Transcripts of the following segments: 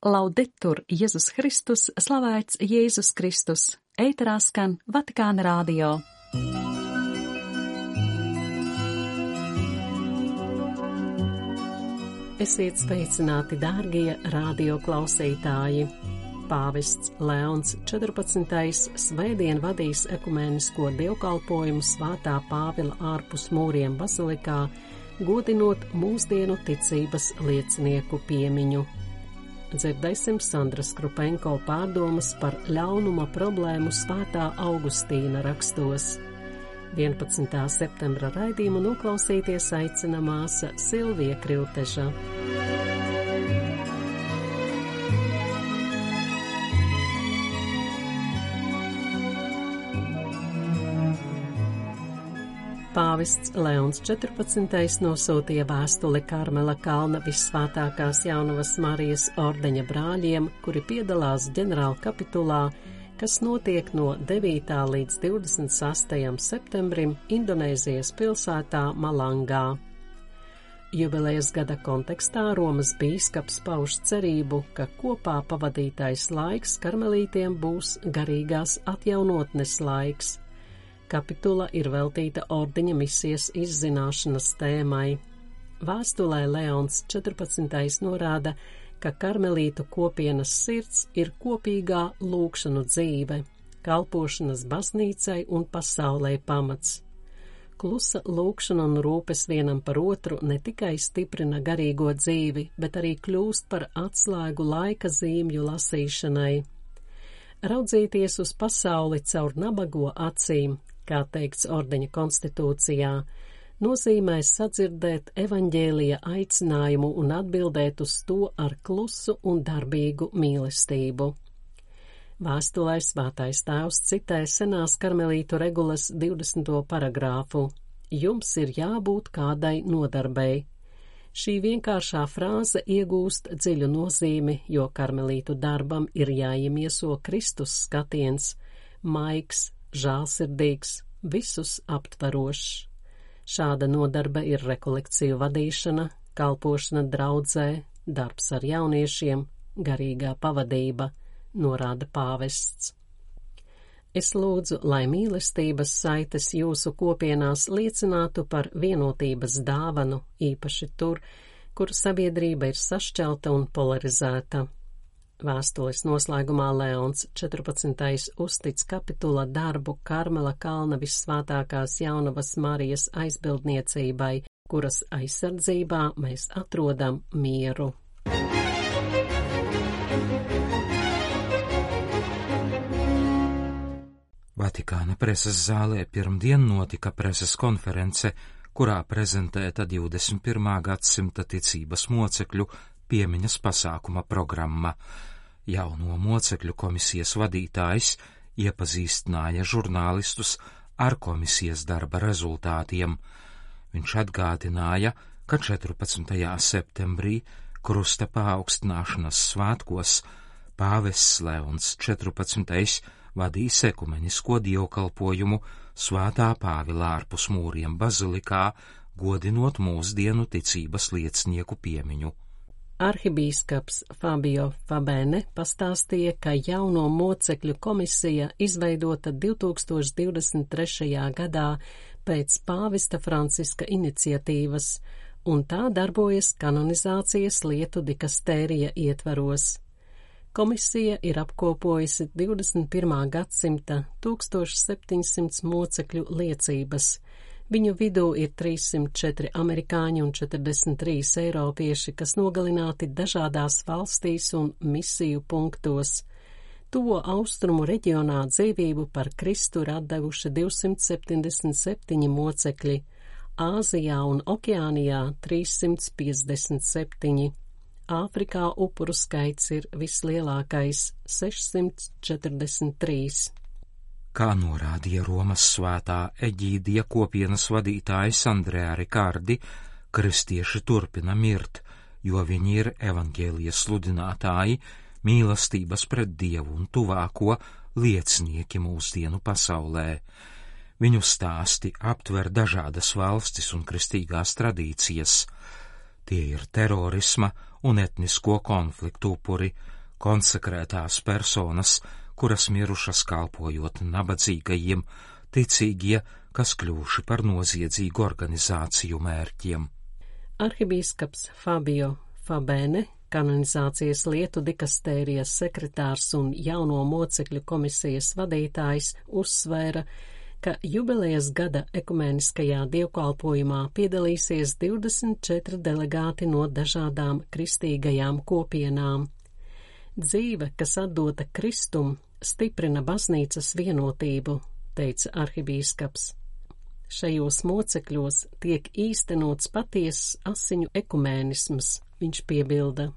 Laudetur Jēzus Kristus, slavēts Jēzus Kristus, ēterā skan Vatikāna radio. Esiet sveicināti, dārgie radio klausītāji! Pāvests Leons 14. svētdien vadīs ekumēnisko dievkalpojumu Svētā Pāvila ārpus mūriem bazilikā, godinot mūsdienu ticības liecinieku piemiņu. Dzirdēsim Sandras Krupenko pārdomas par ļaunuma problēmu Svētā Augustīna rakstos. 11. septembra raidījumu noklausīties aicina māsa Silvija Krilteža. Pāvests Leons 14. nosūtīja vēstuli Karmela kalna Vissvētākās Jaunavas Marijas ordeņa brāļiem, kuri piedalās ģenerāla kapitulā, kas notiek no 9. līdz 26. septembrim Indonēzijas pilsētā Malangā. Jubilejas gada kontekstā Romas bīskaps pauž cerību, ka kopā pavadītais laiks karmelītiem būs garīgās atjaunotnes laiks. Kapitula ir veltīta ordeņa misijas izzināšanas tēmai. Vēstulē Leons 14. norāda, ka karmelītu kopienas sirds ir kopīgā lūgšanu dzīve, kalpošanas baznīcai un pasaulē pamats. Klusa lūgšana un rūpes vienam par otru ne tikai stiprina garīgo dzīvi, bet arī kļūst par atslēgu laika zīmju lasīšanai. Raudzīties uz pasauli caur nabago acīm, kā teikts ordeņa konstitūcijā, nozīmē sadzirdēt evaņģēlija aicinājumu un atbildēt uz to ar klusu un darbīgu mīlestību. Vēstulē Svētais Tēvs citē senās karmelītu regulas 20. paragrāfu: Jums ir jābūt kādai nodarbei. Šī vienkāršā frāze iegūst dziļu nozīmi, jo karmelītu darbam ir jāiemieso Kristus skatiens, maigs, žālsirdīgs, visus aptvarošs. Šāda nodarbe ir rekolekciju vadīšana, kalpošana draudzē, darbs ar jauniešiem, garīgā pavadība, norāda pāvests. Es lūdzu, lai mīlestības saites jūsu kopienās liecinātu par vienotības dāvanu, īpaši tur, kur sabiedrība ir sašķelta un polarizēta. Vēstules noslēgumā Leons 14. uztic kapitula darbu Karmela kalna Vissvētākās Jaunavas Marijas aizbildniecībai, kuras aizsardzībā mēs atrodam mieru. Vatikāna preses zālē pirmdien notika preses konference, kurā prezentēta 21. gadsimta ticības mocekļu piemiņas pasākuma programma. Jauno mocekļu komisijas vadītājs iepazīstināja žurnālistus ar komisijas darba rezultātiem. Viņš atgādināja, ka 14. septembrī krusta paaugstināšanas svētkos pāvests Leons 14. vadīs ekumenisko dievkalpojumu Svētā Pāvila ārpus mūriem bazilikā, godinot mūsdienu ticības liecinieku piemiņu. Arhibīskaps Fabio Fabene pastāstīja, ka jauno mocekļu komisija izveidota 2023. gadā pēc pāvesta Franciska iniciatīvas, un tā darbojas kanonizācijas lietu dikastērija ietvaros. Komisija ir apkopojusi 21. gadsimta 1700 mocekļu liecības. Viņu vidū ir 304 amerikāņi un 43 eiropieši, kas nogalināti dažādās valstīs un misiju punktos. Tuvo austrumu reģionā dzīvību par Kristu ir atdevuši 277 mocekļi, Āzijā un Okeānijā 357. Āfrikā upuru skaits ir vislielākais – 643. Kā norādīja Romas svētā Eģīdija kopienas vadītājs Andrea Rikardi, kristieši turpina mirt, jo viņi ir evaņģēlijas sludinātāji, mīlestības pret Dievu un tuvāko liecinieki mūsdienu pasaulē. Viņu stāsti aptver dažādas valstis un kristīgās tradīcijas. Tie ir terorisma un etnisko konfliktu upuri, konsekrētās personas, kuras mirušas kalpojot nabadzīgajiem, ticīgie, kas kļuvuši par noziedzīgu organizāciju mērķiem. Arhibīskaps Fabio Fabene, kanonizācijas lietu dikastērijas sekretārs un jauno mocekļu komisijas vadītājs, uzsvēra, ka jubilejas gada ekumeniskajā dievkalpojumā piedalīsies 24 delegāti no dažādām kristīgajām kopienām. Dzīve, kas atdota Kristum, stiprina baznīcas vienotību, teica arhibīskaps. Šajos mocekļos tiek īstenots patiesas asiņu ekumēnisms, viņš piebilda.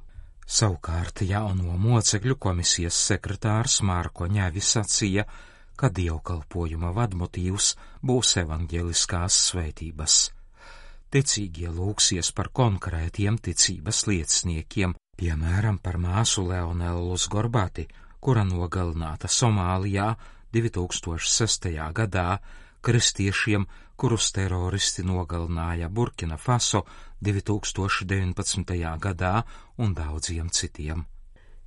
Savukārt jauno mocekļu komisijas sekretārs Mārko Ņavis sacīja, ka dievkalpojuma vadmotīvs būs evaņģeliskās svētības. Ticīgie lūgsies par konkrētiem ticības lieciniekiem, piemēram par māsu Leonelu Gorbati, kura nogalināta Somālijā 2006. gadā, kristiešiem, kurus teroristi nogalināja Burkina Faso 2019. gadā un daudziem citiem.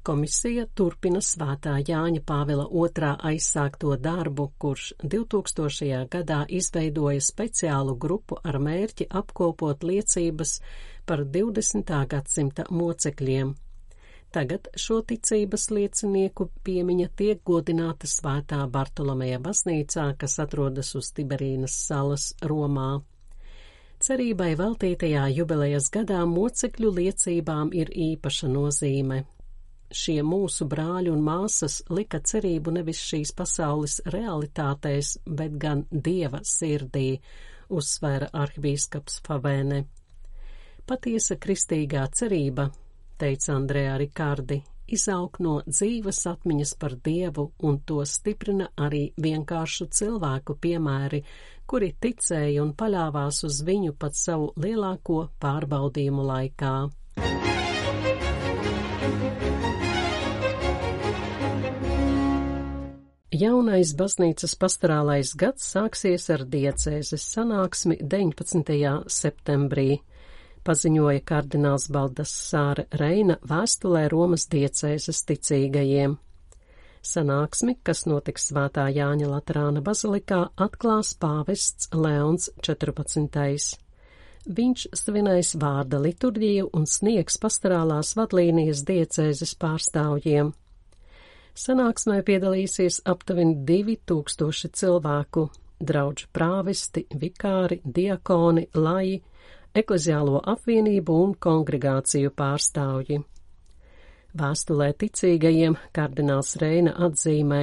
Komisija turpina Svētā Jāņa Pāvila II aizsākto darbu, kurš 2000. gadā izveidoja speciālu grupu ar mērķi apkopot liecības par 20. gadsimta mocekļiem. Tagad šo ticības liecinieku piemiņa tiek godināta Svētā Bartolomeja baznīcā, kas atrodas uz Tiberīnas salas Romā. Cerībai veltītajā jubilejas gadā mocekļu liecībām ir īpaša nozīme. Šie mūsu brāļi un māsas lika cerību nevis šīs pasaules realitātēs, bet gan Dieva sirdī, uzsvēra arhibīskaps Favene. Patiesa kristīgā cerība, teica Andrea Rikardi, izaug no dzīves atmiņas par Dievu, un to stiprina arī vienkāršu cilvēku piemēri, kuri ticēja un paļāvās uz viņu pat savu lielāko pārbaudījumu laikā. Jaunais baznīcas pastorālais gads sāksies ar diecēzes sanāksmi 19. septembrī, paziņoja kardināls Baldassare Reina vēstulē Romas diecēzes ticīgajiem. Sanāksmi, kas notiks Svētā Jāņa Laterāna bazilikā, atklās pāvests Leons 14. Viņš svinēs vārda liturģiju un sniegs pastorālās vadlīnijas diecēzes pārstāvjiem. Sanāksmē piedalīsies aptuveni 2000 cilvēku, draudžu prāvesti, vikāri, diakoni, laji, ekleziālo apvienību un kongregāciju pārstāvji. Vēstulē ticīgajiem kardināls Reina atzīmē: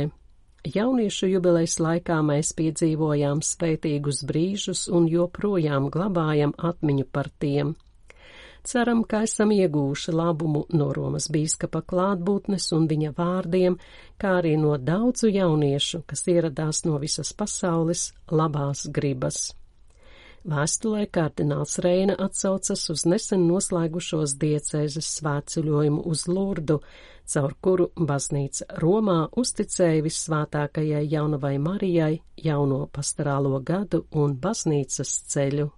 jauniešu jubilejas laikā mēs piedzīvojām svētīgus brīžus un joprojām glabājam atmiņu par tiem. Ceram, ka esam iegūši labumu no Romas bīskapa klātbūtnes un viņa vārdiem, kā arī no daudzu jauniešu, kas ieradās no visas pasaules labās gribas. Vēstulē kardināls Reina atsaucas uz nesen noslēgušos diecēzes svētceļojumu uz Lurdu, caur kuru baznīca Romā uzticēja vissvētākajai jaunavai Marijai jauno pastorālo gadu un baznīcas ceļu.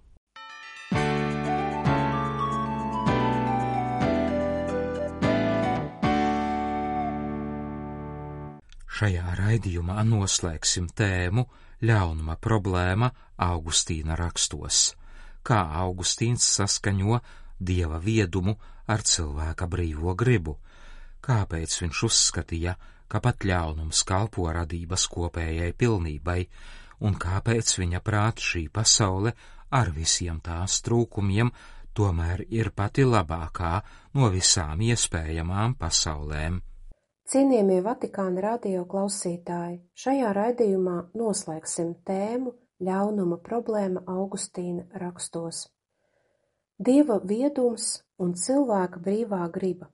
Šajā raidījumā noslēgsim tēmu ļaunuma problēma Augustīna rakstos, kā Augustīns saskaņo Dieva viedumu ar cilvēka brīvo gribu, kāpēc viņš uzskatīja, ka pat ļaunums kalpo radības kopējai pilnībai, un kāpēc viņa prāt šī pasaule ar visiem tās trūkumiem tomēr ir pati labākā no visām iespējamām pasaulēm. Cienījamie Vatikāna radio klausītāji, šajā raidījumā noslēgsim tēmu ļaunuma problēma Augustīna rakstos. Dieva viedums un cilvēka brīvā griba.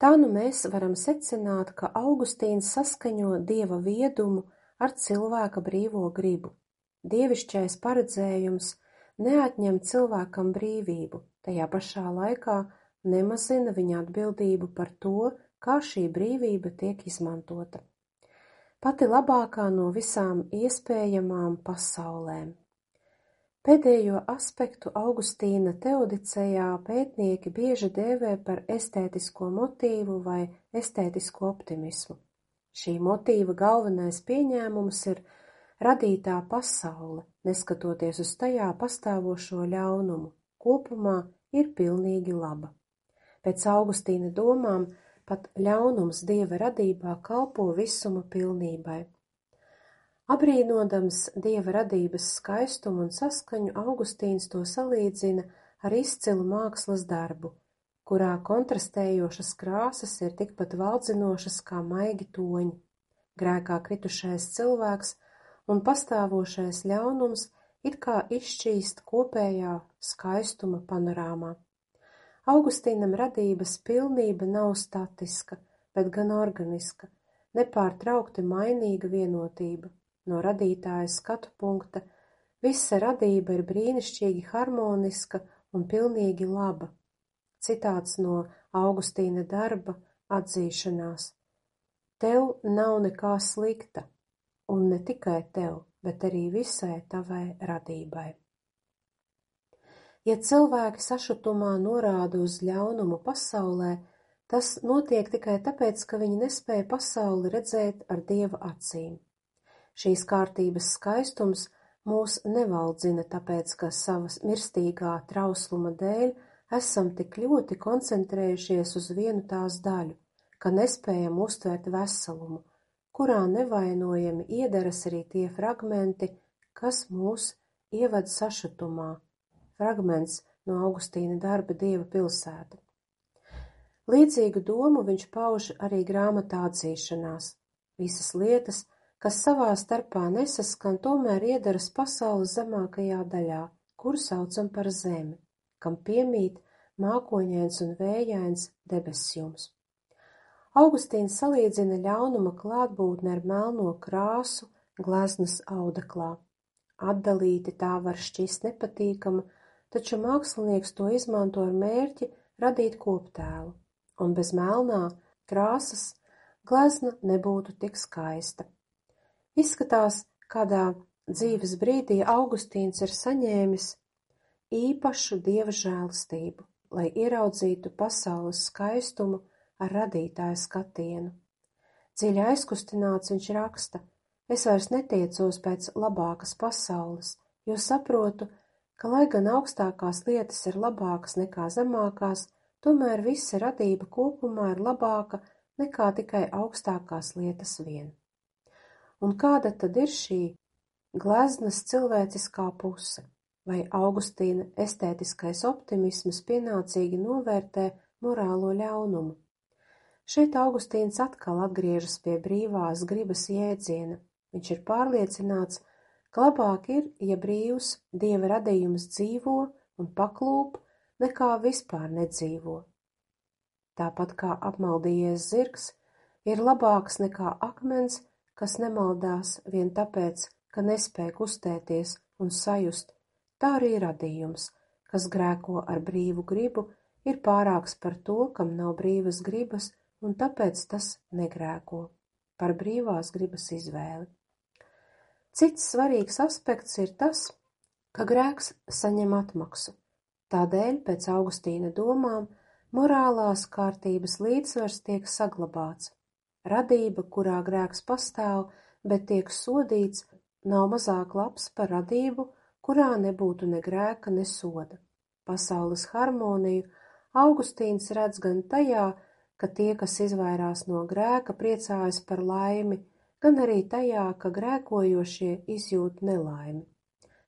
Tā nu mēs varam secināt, ka Augustīns saskaņo Dieva viedumu ar cilvēka brīvo gribu. Dievišķais paredzējums neatņem cilvēkam brīvību, tajā pašā laikā nemazina viņa atbildību par to, kā šī brīvība tiek izmantota. Pati labākā no visām iespējamām pasaulēm. Pēdējo aspektu Augustīna teodicejā pētnieki bieži dēvē par estētisko motīvu vai estētisko optimismu. Šī motīva galvenais pieņēmums ir radītā pasaule, neskatoties uz tajā pastāvošo ļaunumu, kopumā ir pilnīgi laba. Pēc Augustīna domām pat ļaunums Dieva radībā kalpo visuma pilnībai. Abrīnodams Dieva radības skaistumu un saskaņu, Augustīns to salīdzina ar izcilu mākslas darbu, kurā kontrastējošas krāsas ir tikpat valdzinošas kā maigi toņi. Grēkā kritušais cilvēks un pastāvošais ļaunums it kā izšķīst kopējā skaistuma panorāmā. Augustīnam radības pilnība nav statiska, bet gan organiska, nepārtraukti mainīga vienotība. No radītāja skatu punkta visa radība ir brīnišķīgi harmoniska un pilnīgi laba. Citāts no Augustīna darba Atzīšanās. Tev nav nekā slikta, un ne tikai tev, bet arī visai tavai radībai. Ja cilvēki sašutumā norāda uz ļaunumu pasaulē, tas notiek tikai tāpēc, ka viņi nespēja pasauli redzēt ar Dieva acīm. Šīs kārtības skaistums mūs nevaldzina tāpēc, ka savas mirstīgā trausluma dēļ esam tik ļoti koncentrējušies uz vienu tās daļu, ka nespējam uztvert veselumu, kurā nevainojami iedaras arī tie fragmenti, kas mūs ieved sašutumā. Fragments no Augustīna darba Dieva pilsēta. Līdzīgu domu viņš pauž arī grāmatā Atzīšanās. Visas lietas, kas savā starpā nesaskan, tomēr iedaras pasaules zemākajā daļā, kuru saucam par zemi, kam piemīt mākoņains un vējains debesjums. Augustīns salīdzina ļaunuma klātbūtni ar melno krāsu gleznas audeklā. Atdalīti tā var šķist nepatīkama, taču mākslinieks to izmanto ar mērķi radīt koptēlu, un bez melnā krāsas glezna nebūtu tik skaista. Izskatās, kādā dzīves brīdī Augustīns ir saņēmis īpašu Dieva žēlastību, lai ieraudzītu pasaules skaistumu ar radītāja skatienu. Dziļi aizkustināts viņš raksta: es vairs netiecos pēc labākas pasaules, jo saprotu, ka, lai gan augstākās lietas ir labākas nekā zemākās, tomēr visa radība kopumā ir labāka nekā tikai augstākās lietas vien. Un kāda tad ir šī gleznas cilvēciskā puse? Vai Augustīna estētiskais optimisms pienācīgi novērtē morālo ļaunumu? Šeit Augustīns atkal atgriežas pie brīvās gribas jēdziena. Viņš ir pārliecināts, ka labāk ir, ja brīvs Dieva radījums dzīvo un paklūp, nekā vispār nedzīvo. Tāpat kā apmaldījies zirgs ir labāks nekā akmens, kas nemaldās vien tāpēc, ka nespēj kustēties un sajust, tā arī radījums, kas grēko ar brīvu gribu, ir pārāks par to, kam nav brīvas gribas, un tāpēc tas negrēko, par brīvās gribas izvēli. Cits svarīgs aspekts ir tas, ka grēks saņem atmaksu. Tādēļ, pēc Augustīna domām, morālās kārtības līdzsvars tiek saglabāts. Radība, kurā grēks pastāv, bet tiek sodīts, nav mazāk labs par radību, kurā nebūtu ne grēka, ne soda. Pasaules harmoniju Augustīns redz gan tajā, ka tie, kas izvairās no grēka, priecājas par laimi, gan arī tajā, ka grēkojošie izjūt nelaimi.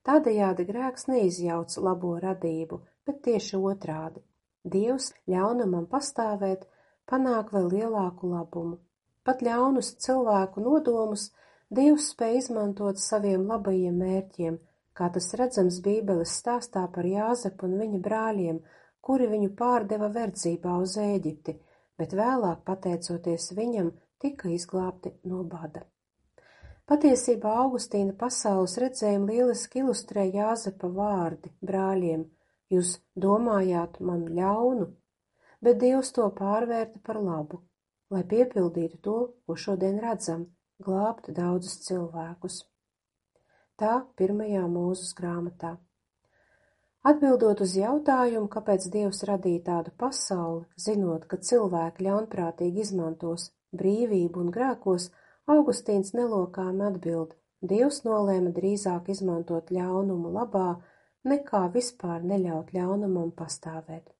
Tādējādi grēks neizjauc labo radību, bet tieši otrādi. Dievs ļaunumam pastāvēt panāk vēl lielāku labumu. Pat ļaunus cilvēku nodomus Dievs spēj izmantot saviem labajiem mērķiem, kā tas redzams Bībeles stāstā par Jāzepu un viņa brāļiem, kuri viņu pārdeva verdzībā uz Ēģipti, bet vēlāk, pateicoties viņam, tika izglābti no bada. Patiesībā Augustīna pasaules redzējumu lieliski ilustrē Jāzepa vārdi brāļiem: jūs domājāt man ļaunu, bet Dievs to pārvērta par labu, lai piepildītu to, ko šodien redzam, glābt daudzus cilvēkus. Tā 1. Mūzes grāmatā. Atbildot uz jautājumu, kāpēc Dievs radīja tādu pasauli, zinot, ka cilvēki ļaunprātīgi izmantos brīvību un grēkos, Augustīns nelokāmi atbild: Dievs nolēma drīzāk izmantot ļaunumu labā, nekā vispār neļaut ļaunumam pastāvēt.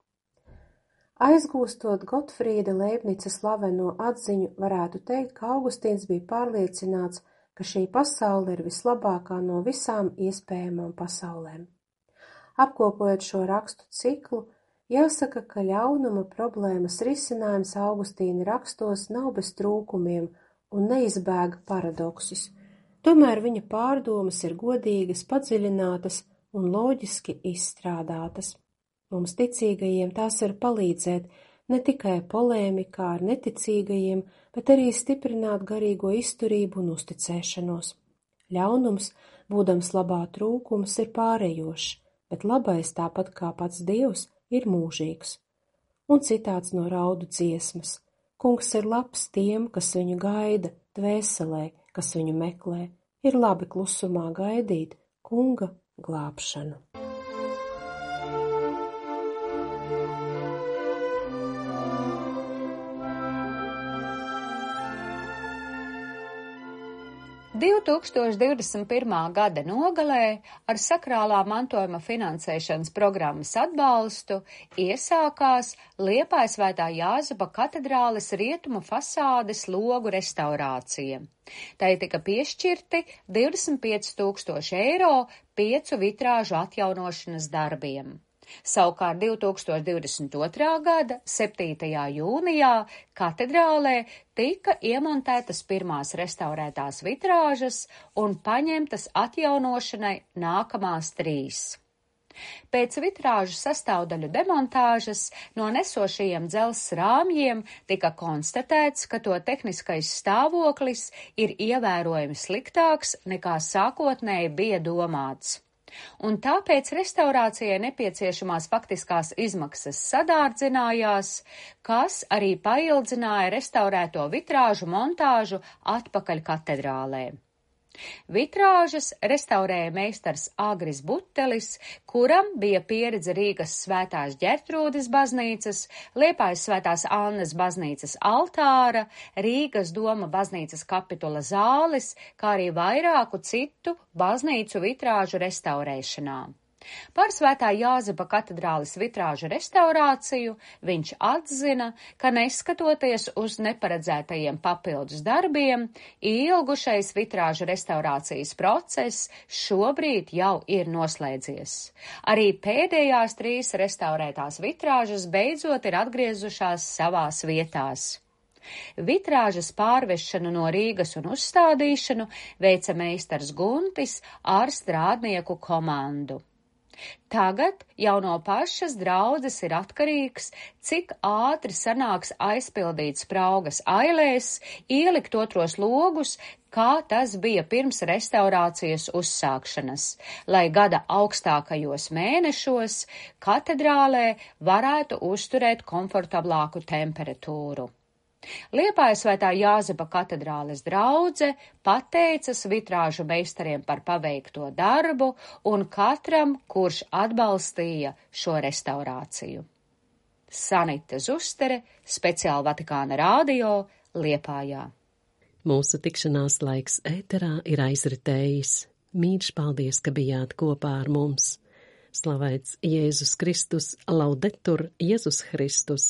Aizgūstot Gotfrīda Leibnica slaveno atziņu, varētu teikt, ka Augustīns bija pārliecināts, ka šī pasaule ir vislabākā no visām iespējamām pasaulēm. Apkopojot šo rakstu ciklu, jāsaka, ka ļaunuma problēmas risinājums Augustīna rakstos nav bez trūkumiem un neizbēga paradoksus. Tomēr viņa pārdomas ir godīgas, padziļinātas un loģiski izstrādātas. Mums ticīgajiem tās var palīdzēt ne tikai polēmikā ar neticīgajiem, bet arī stiprināt garīgo izturību un uzticēšanos. Ļaunums, būdams labā trūkums, ir pārējošs, bet labais, tāpat kā pats Dievs, ir mūžīgs. Un citāts no Raudu dziesmas: Kungs ir labs tiem, kas viņu gaida, dvēselē, kas viņu meklē. Ir labi klusumā gaidīt Kunga glābšanu. – 2021. gada nogalē ar sakrālā mantojuma finansēšanas programmas atbalstu iesākās Liepājas Svētā Jāzepa katedrāles rietumu fasādes logu restaurācija. Tai tika piešķirti 25,000 eiro 5 vitrāžu atjaunošanas darbiem. Savukārt 2022. gada 7. jūnijā katedrālē tika iemontētas pirmās restaurētās vitrāžas un paņemtas atjaunošanai nākamās 3. Pēc vitrāžu sastāvdaļu demontāžas no nesošajiem dzelzs rāmjiem tika konstatēts, ka to tehniskais stāvoklis ir ievērojami sliktāks nekā sākotnēji bija domāts. Un tāpēc restaurācijai nepieciešamās faktiskās izmaksas sadārdzinājās, kas arī paildzināja restaurēto vitrāžu montāžu atpakaļ katedrālē. Vitrāžas restaurēja meistars Agris Butelis, kuram bija pieredze Rīgas Svētās Ģertrūdes baznīcas, Liepājas Svētās Annas baznīcas altāra, Rīgas Doma baznīcas kapitula zāles, kā arī vairāku citu baznīcu vitrāžu restaurēšanā. Par Svētā Jāzepa katedrāles vitrāžu restaurāciju viņš atzina, ka neskatoties uz neparedzētajiem papildus darbiem, ilgušais vitrāžu restaurācijas process šobrīd jau ir noslēdzies. Arī pēdējās 3 restaurētās vitrāžas beidzot ir atgriezušās savās vietās. Vitrāžas pārvešanu no Rīgas un uzstādīšanu veica meistars Guntis ar strādnieku komandu. Tagad jau no pašas draudzes ir atkarīgs, cik ātri sanāks aizpildīt spraugas ailēs, ielikt otros logus, kā tas bija pirms restaurācijas uzsākšanas, lai gada augstākajos mēnešos katedrālē varētu uzturēt komfortablāku temperatūru. Liepājas Svētā Jāzepa katedrāles draudze pateicas vitrāžu meistariem par paveikto darbu un katram, kurš atbalstīja šo restaurāciju. Sanita Zustere, speciāli Vatikāna radio, Liepājā. Mūsu tikšanās laiks ēterā ir aizritējis. Mīļš paldies, ka bijāt kopā ar mums. Slavēts Jēzus Kristus, laudetur Jēzus Kristus.